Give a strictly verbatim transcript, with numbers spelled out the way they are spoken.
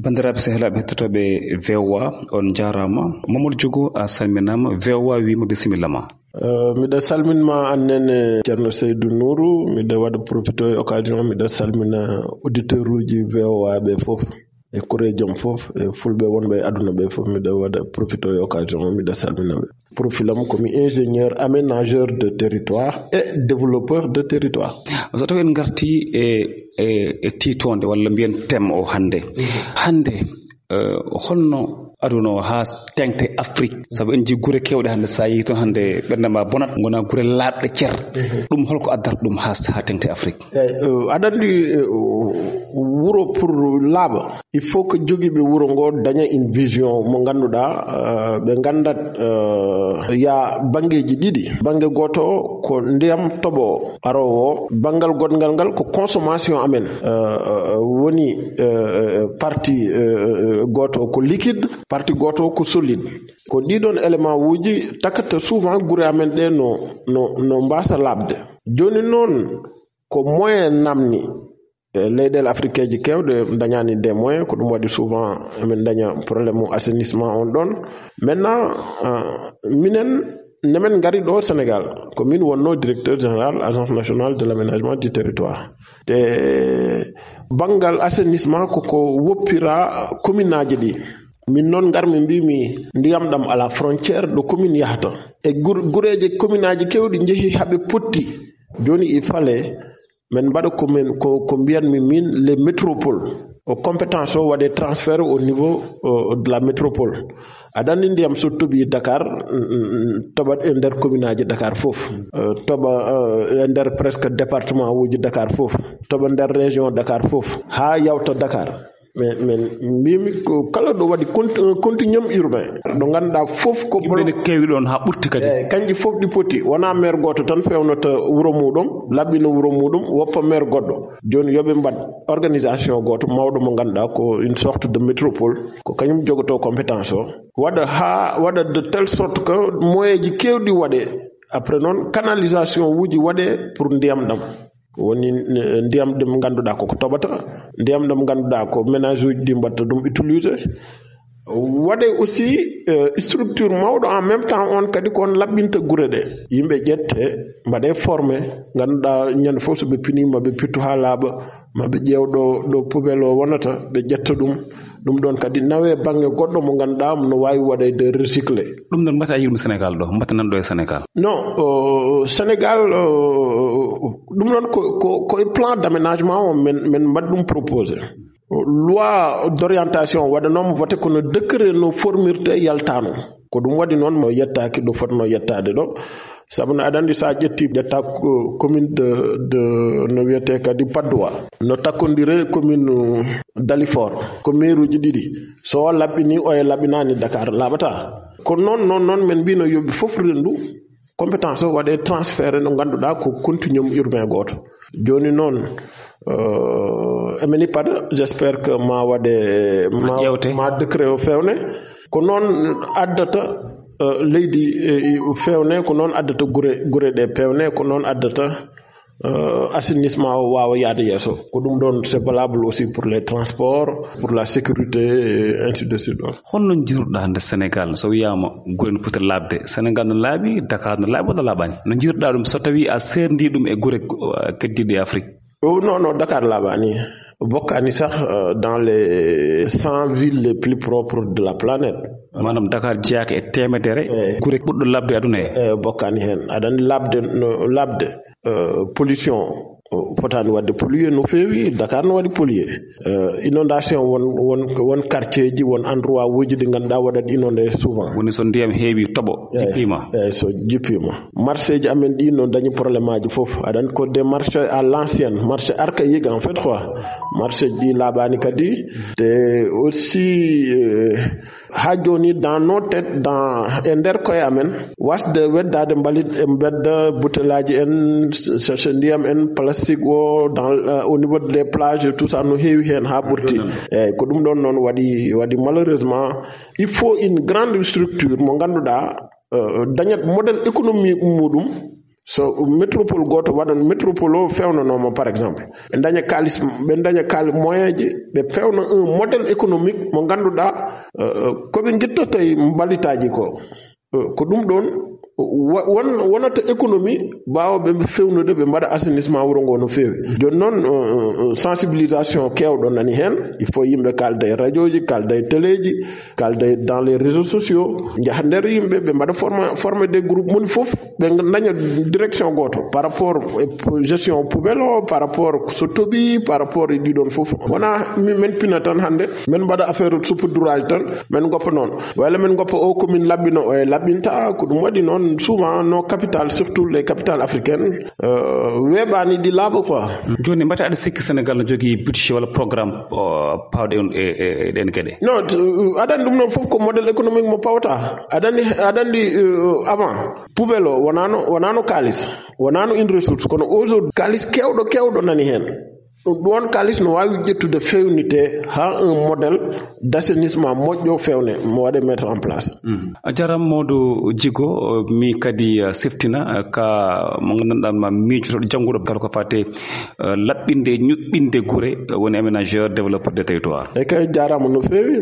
Banndiraaɓe sehilaaɓe hettotooɓe V O A, on njaaraama. Mamadou Diogo, a salminaama. V O A wiima bisimilla ma. Eh, miɗa salmin ma an nene Ceerno Seydou Nourou, miɗa waɗa profito e occasion, miɗa salmina auditeur uji V O A ɓe fof, e koreejam fof, e fulɓe wonɓe e aduna ɓe fof, miɗa waɗa profito e occasion, miɗa salmina ɓe. Profil am ko mi ingénieur aménageur de territoire et développeur de territoire. So tawi en ngarti e, e, e tiitoonde walla mbiyen thème o hannde. Hannde, eh, holno aduna o haa teŋti Afrique? Sabu en njii gure keewɗe hannde, so a yehii toon hannde ɓernde ma bonat, ngona gure laaɓɗe cer. Ɗum holko addata ɗum haa, haa teŋti Afrique? Eyi, eh, aɗa anndi, eh, wuro pour laaɓa, il faut que jogiiɓe wuro ngo daña une vision mo ngannduɗaa, eh, ɓe nganndat, eh, ya banngeeji ɗiɗi. Bannge gooto o ko ndiyam toɓo o aroowo o, banngal goɗngal ngal ko consommation amen, eh, eh, woni, eh, eh, partie, eh, eh, gooto o ko liquide, partie gooto o ko solide. Ko ɗiɗon élément uji takata souvent gure amen ɗe no, no, no mbaasa laaɓde. Jooni noon, ko moyen namni. E leyɗeele afrikeeji keewɗe dañaani des moyens, ko ɗum waɗi souvent emin daña problème mu assainissement on ɗon. Maintenant, euh, minen, nemen ngari ɗo Sénégal, ko min wonno directeur général Agence nationale de l'aménagement du territoire. Te banngal assainissement ko ko woppira commune aji ɗi. Min noon ngarmi mbimi ndiyam ɗam ala frontière ɗo commune yahata. E gur-, gureeje commune aji keewɗi njehi haɓe potti. Jooni il fallait min mbaɗa ko min, ko, ko mbiyanmi min les métropoles. O compétence o waɗe transféré au niveau, euh, de la métropole. Aɗa anndi ndiyam so toɓi Dakar, mm, mm, mm, toɓat e nder commune aji Dakar fof. Euh, toɓa, euh, e nder presque département uji Dakar fof. Toɓa nder région Dakar fof. Haa yawta Dakar. Min, min mbimi ko kala ɗo waɗi cont-, un continuum urbain. Ɗo ngannduɗaa fof ko yimɓe bolo-, ne keewi ɗon haa ɓurti kadi. Eyi, kanji fof ɗi poti. Wonaa maire gooto tan fewnata wuro muɗum, laɓɓina wuro muɗum, woppa maire goɗɗo. Jooni yo ɓe mbaɗ organisation gooto mawɗo mo ngannduɗaa ko une sorte de métropole. Ko kañum jogoto compétence o. Waɗa haa, waɗa de telle sorte que moyen ji keewɗi waɗe. Après noon, canalisation uji waɗe pour ndiyam ɗam. Woni, eh, ndiyam ɗam ngannduɗaa ko ko toɓata, ndiyam ɗam ngannduɗaa ko ménage uji ɗi mbaɗta ɗum utilisé. Waɗe aussi, eh, structure mawɗo en même temps on kadi ko on laɓɓinta gure ɗe. Yimɓe ƴette, mbaɗe formé, ngannduɗaa ñande fof so ɓe pinii ma ɓe pittu haa laaɓa, ma ɓe ƴeew ɗo, ɗo poubelle o wonata, ɓe ƴetta ɗum. Ɗum ɗon kadi nawe bannge goɗɗo mo ngannduɗaa no waawi waɗeede recyclé. Ɗum ɗon mbata a yiɗum Sénégal ɗo, mbata nan ɗo e Sénégal? Non, euh, Sénégal, euh, ɗum ɗon ko, ko, ko e plan d'aménagement o men, men mbaɗ ɗum proposé. Loi d'orientation waɗanooma voté kono décret no formirte yaltaano. Ko ɗum waɗi noon mo yettaaki ɗo fotno yettaade ɗo. Sabu no aɗa anndi so a ƴetti ƴetta ko commune de, de, no wiyetee kadi Patte d'Oie. No takkondire commune Dalifort. Ko maire uji ɗiɗi. So o laɓɓini, o e laɓɓinaani Dakar, laaɓata. Ko noon, noon, noon men mbino yo ɓe fof renndu. Compétence o waɗe transféré no ngannduɗaa ko continuum urbain gooto. Jooni noon, euh, emin ippata, j'espère que ma waɗe, ma, ƴeewte, ma décret o fewne. Ko noon addata, euh, leydi, eh, fewne, ko noon addata gure, gure ɗe pewne, ko noon addata, euh, assainissement o waawa yaade yeeso. Ko ɗum ɗon, c'est valable aussi pour les transports, pour la sécurité, et ainsi de suite. Holno njiiruɗaa hannde Sénégal? So wiyaama gure no poti laaɓde, Sénégal no laaɓi, Dakar no laaɓi walla laaɓaani? No njiiruɗaa ɗum so tawii a seerndii ɗum e gure, uh, keddiiɗe e Afrique? Oh, non, non, Dakar laaɓaani. Bokkaani sax, euh, dans les cent villes les plus propres de la planète. Maanaam Dakar jeyaaka e teemedere, eh, gure ɓurɗo laaɓde aduna he. Eh, bokkaani heen. Aɗa anndi laaɓde, no laaɓde, euh, pollution, o fotaani waɗde pollué no feewi, Dakar no waɗi pollué. Euh, inondation won, won, won quartier ji, won endroit uji ɗi ngannduɗaa waɗat inondé souvent. Woni so ndiyam heewi toɓo, eh, jippiima. Eh, so jippiima. Marché ji amen ɗi no dañi problème aji fof. Aɗa anndi ko des marchés à l'ancienne, marché archaïque en fait quoi. Marché ji ɗi laaɓaani kadi. Te aussi, euh, haa jooni, dans nos têtes, dans, e nder koye amen, wasde weddaade mbalit e mbedda, butelaaji en, sachet ndiyam en, plastique o, dans, euh, au niveau des plages, tout ça, no heewi heen haa ɓurti. Eeyi, ko ɗum ɗon noon waɗi, waɗi malheureusement, il faut une grande structure mo ngannduɗaa, euh, dañat modèle économie muɗum, So métropole gooto waɗan, métropole o fewnanooma, par exemple, ɓe ndaña kaalis, ɓe ndaña kaali moyenji, ɓe pewna un modèle économique mo ngannduɗaa, euh, ko ɓe ngittata e mbalitaaji ko. Euh, ko ɗum ɗoon wa-, won-, wonata économie, mbaawa ɓe fewnude, ɓe mbaɗa assainissement wuro ngo no feewi. Jooni noon, euh, euh, sensibilisation keewɗo nani heen. Il faut yimɓe kaalda e radioji, kaalda e téléji, kaalda e dans les réseaux sociaux, njaha nder yimɓe, ɓe mbaɗa forma-, former des groupes, moni fof ɓe ndaña direction gooto par rapport e po-, gestion poubelle o, par rapport so toɓi, par rapport e ɗiɗon fof. Wona mi-, men pina tan hannde, men mbaɗa affaire saupoudrage tan, men goppa noon. Walla men goppa o commune laɓɓino, o e laɓɓinta, ko ɗum waɗi noon souvent nos capitales, surtout les capitales africaines, euh, weeɓaani ɗi laaɓa quoi. Jooni, mbata aɗa sikki Sénégal no jogii budget walla programme, o, paawɗo e, e, e ɗeen geɗe? Non, t-, aɗa anndi ɗum noon fof ko modèle économique mo pawta. Aɗa anndi, aɗa anndi, euh, avant, poubelle o wonaano, wonaano kaalis, wonaano une ressource, kono aujourd'hui kaalis keewɗo, keewɗo nani heen. Ɗum ɗoon kaalis no waawi ƴettude feewnitee haa un modèle d'assainissement moƴƴo feewne, mo waɗe mettre en place. Mhm. A jaaraama, Modou Djigo. Mi kadi, eh, seftina, eh, ka mo nganndanɗaa ma miijotooɗo jannguɗo kala ko fate, eh, laɓɓinde, ñuɓɓinde gure, eh, woni aménageur, développeur de territoire. E kay, jaaraama no feewi.